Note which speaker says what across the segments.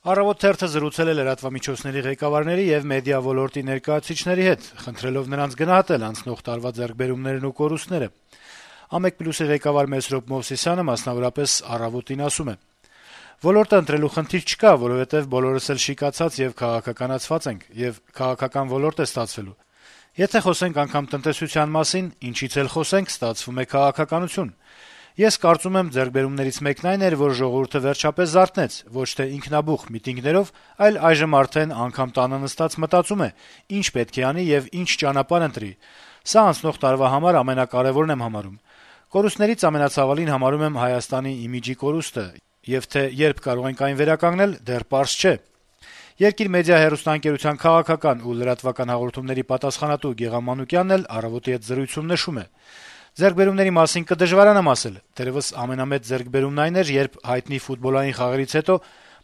Speaker 1: «Առավոտ» թերթը զրուցել է լրատվամիջոցների ղեկավարների եւ մեդիա ոլորտի ներկայացուցիչների հետ, խնդրելով նրանց գնահատել անցնող տարվա ձեռքբերումներն ու կորուստները։ «Ամեկ+»-ի ղեկավար Մեսրոպ Մովսիսյանը մասնավորապես «Առավոտ»-ին ասում է. - «Ոլորտը ընտրելու խնդիր չկա, որովհետեւ բոլորս էլ շիկացած եւ քաղաքականացված ենք, եւ քաղաքական ոլորտ է ստացվելու։ Եթե խոսենք անգամ տնտեսության մասին, ինչից էլ խոսենք, ստացվում է քաղաքականություն։ Ես կարծում եմ, ձեռքբերումներից մեկն այն էր, որ ժողովուրդը վերջապես զարթնեց, ոչ թե ինքնաբուխ միտինգներով, այլ այժմ արդեն անգամ տանը նստած մտածում է, ինչ պետք է անի եւ ինչ ճանապարհ ընտրի։ Սա անցնող տարվա համար ամենակարեւորն եմ համարում։ Կորուստներից ամենացավալին համարում եմ Հայաստանի իմիջի կորուստը, եւ թե երբ կարող ենք այն վերականգնել, դեռ պարզ չէ»։ «Երկիր» մեդիա հեռուստաընկերության քաղաքական ու լրատվական հաղորդումների պատասխանատու Գեղամ Մանուկյանն էլ «Առավոտ»-ի հետ զրույցում նշում է. - «Ձեռքբերումների մասին կդժվարանամ ասել, թերեւս ամենամեծ ձեռքբերումն այն էր, երբ հայտնի ֆուտբոլային խաղերից հետո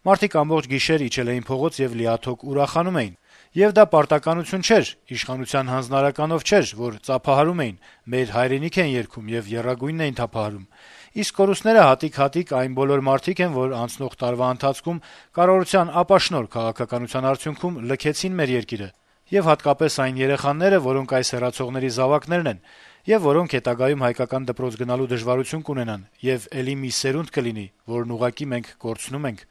Speaker 1: մարդիկ ամբողջ գիշեր իջել էին փողոց եւ լիաթոք ուրախանում էին։ Եվ դա պարտականություն չէր, իշխանության հանձնարարականով չէր, որ ծափահարում էին, մեր հայրենիք են երգում եւ եռագույնն էին թափահարում։ Իսկ կորուստները հատիկ-հատիկ այն բոլոր մարդիկ են, որ անցնող տարվա ընթացքում կառավարության ապաշնորհ քաղաքականության արդյունքում լքեցին մեր երկիրը, եւ հատկապես այն երեխաները, որոնք այս հեռացողների զավակներն են, եւ որոնք հետագայում հայկական դպրոց գնալու դժվարություն կունենան, եւ էլի մի սերունդ կլինի, որն ուղղակի մենք կորցնում ենք»։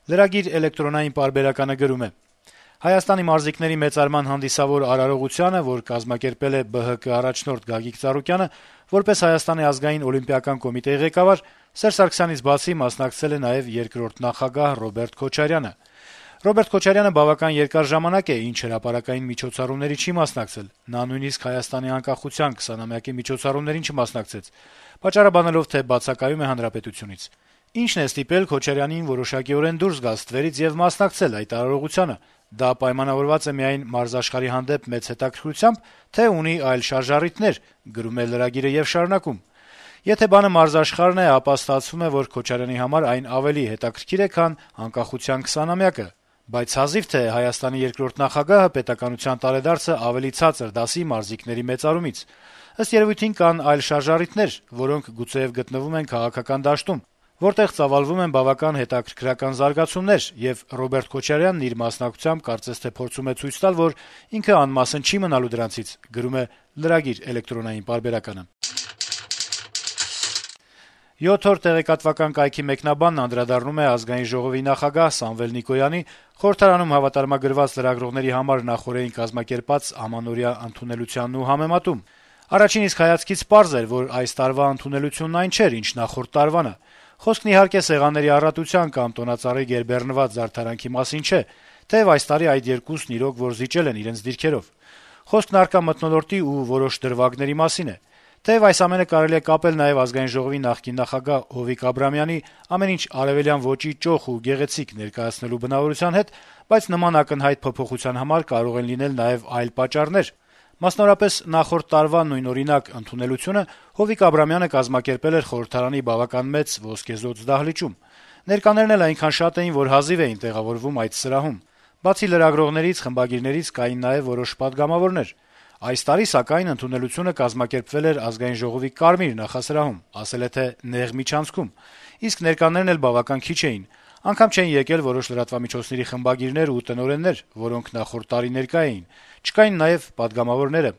Speaker 1: Lragir էլեկտրոնային պարբերականը գրում է. - «Հայաստանի մարզիկների մեծարման հանդիսավոր արարողությանը, որ կազմակերպել է ԲՀԿ առաջնորդ Գագիկ Ծառուկյանը, որպես Հայաստանի ազգային օլիմպիական կոմիտեի ղեկավար, Սերժ Սարգսյանից բացի մասնակցել է նաեւ երկրորդ նախագահ Ռոբերտ Քոչարյանը։ Ռոբերտ Քոչարյանը բավական երկար ժամանակ է, ինչ հրապարակային միջոցառումների չի մասնակցել, նա նույնիսկ Հայաստանի անկախության 20-ամյակի միջոցառումներին չմասնակցեց, պատճառաբանելով, թե բացակայում է հանրապետությունից։ Ինչն է ստիպել Քոչարյանին որոշակիորեն դուրս գալ ստվերից եւ մասնակցել այդ արարողությանը։ Դա պայմանավորված է միայն մարզաշխարհի հանդեպ մեծ հետաքրքրությամբ, թե ունի այլ շարժառիթներ», գրում է Lragir-ը եւ շարունակում. - «Եթե բանը մարզաշխարհն է, ապա ստացվում է, որ Քոչարյանի համար այն ավելի հետաքրքիր է, քան անկախության 20-ամյակը։ Բայց հազիվ թե Հայաստանի երկրորդ նախագահը պետականության տարեդարձը ավելի ցածր դասի մարզիկների մեծարումից։ Ըստ երևույթին կան այլ շարժառիթներ, որոնք գուցեեւ գտնվում են քաղաքական դաշտում, որտեղ ծավալվում են բավական հետաքրքրական զարգացումներ, եւ Ռոբերտ Քոչարյանն իր մասնակցությամբ կարծես թե փորձում է ցույց տալ, որ ինքը անմասն չի մնալու դրանցից», գրում է Lragir էլեկտրոնային պարբերականը։ 7 օր տեղեկատվական կայքի մեկնաբանն անդրադառնում է Ազգային ժողովի նախագահ Սամվել Նիկոյանի խորհրդարանում հավատարմագրված լրագրողների համար նախօրեին կազմակերպած ամանորյա ընդունելությանն ու համեմատում։ Առաջին իսկ հայացքից պարզ էր, որ այս տարվա ընդունելությունն այն չէր, ինչ նախորդ տարվանը։ Խոսքն իհարկե սեղանների առատության կամ տոնածառի գերբեռնված զարդարանքի մասին չէ, թեև այս տարի այդ երկուսն իրոք որ զիջել են իրենց դիրքերով։ Խոսքն առկա մթնոլորտի ու որոշ դրվագների մասին է։ Թեև այս ամենը կարելի է կապել նաեւ Ազգային ժողովի նախկին նախագահ Հովիկ Աբրամյանի ամեն ինչ արեւելյան ոճի ճոխ ու գեղեցիկ ներկայացնելու բնավորության հետ, բայց նման ակնհայտ փոփոխության համար կարող են լինել նաեւ այլ պատճառներ։ Մասնավորապես նախորդ տարվա նույնօրինակ ընդունելությունը Հովիկ Աբրամյանը կազմակերպել էր խորհրդարանի բավական մեծ ոսկեզօծ դահլիճում։ Ներկաներն էլ այնքան շատ էին, որ հազիվ էին տեղավորվում այդ սրահում։ Բացի լրագրողներից, խմբագիրներից կային նաեւ որոշ պատգամավորներ։ Այս տարի, սակայն, ընդունելությունը կազմակերպվել էր Ազգային ժողովի Կարմիր նախասրահում, ասել է թե նեղ միջանցքում, իսկ ներկաներն էլ բավական քիչ էին։ Անգամ չէին եկել որոշ լրատվամիջոցների խմբագիրներ ու տնօրեններ, որոնք նախորդ տարի ներկա էին։ Չկային նաեւ պատգամավորները։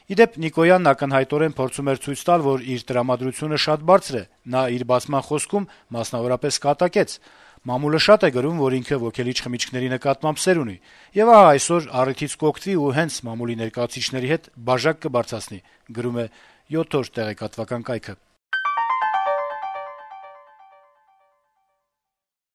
Speaker 1: Ի դեպ, Նիկոյանն ակնհայտորեն փորձում էր ցույց տալ, որ իր տրամադրությունը շատ բարձր է։ Նա իր բացման խոսքում մասնավորապես կատակեց. «Մամուլը շատ է գրում, որ ինքը ոգելիչ խմիչքների նկատմամբ սեր ունի, եւ ահա այսօր առիթից կօգտվի ու հենց մամուլի ներկայացուցիչների հետ բաժակ կբարձրացնի», գրում է 7 օր տեղեկատվական կայքը։